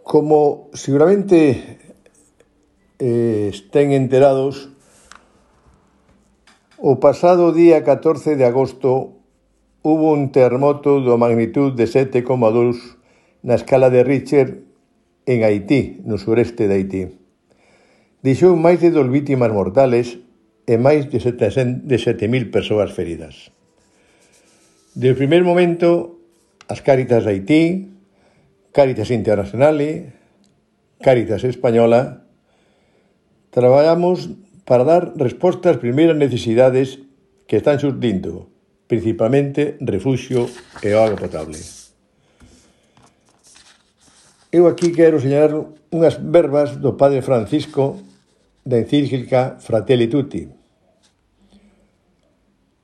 Como seguramente estén enterados, o pasado día 14 de agosto hubo un terremoto de magnitud de 7,2 na escala de Richter en Haití, no sureste de Haití. Deixou máis de 2 vítimas mortales e máis de 7.000 persoas feridas. Desde o primer momento, as Cáritas de Haití, Cáritas Internacional, Cáritas Española, traballamos para dar resposta ás primeiras necesidades que están xurdindo, principalmente refuxio e auga potable. Eu aquí quero señalar unhas verbas do Padre Francisco da encíclica Fratelli Tutti.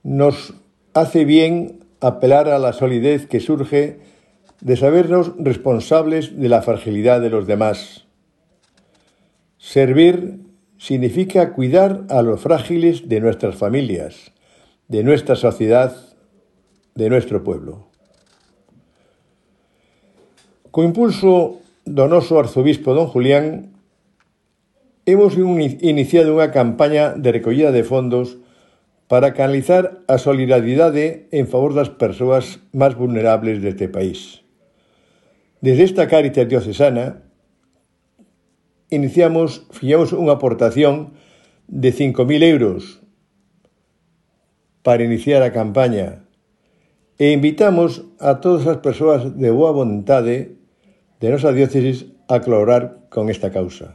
Nos hace bien apelar a la solidez que surge de sabernos responsables de la fragilidad de los demás. Servir significa cuidar a los frágiles de nuestras familias, de nuestra sociedad, de nuestro pueblo. Co impulso do noso arzobispo don Julián, hemos iniciado unha campaña de recollida de fondos para canalizar a solidaridade en favor das persoas máis vulnerables deste país. Desde esta Cáritas diocesana, fixemos unha aportación de 5.000 euros para iniciar a campaña e invitamos a todas as persoas de boa vontade de nosa diócesis a colaborar con esta causa.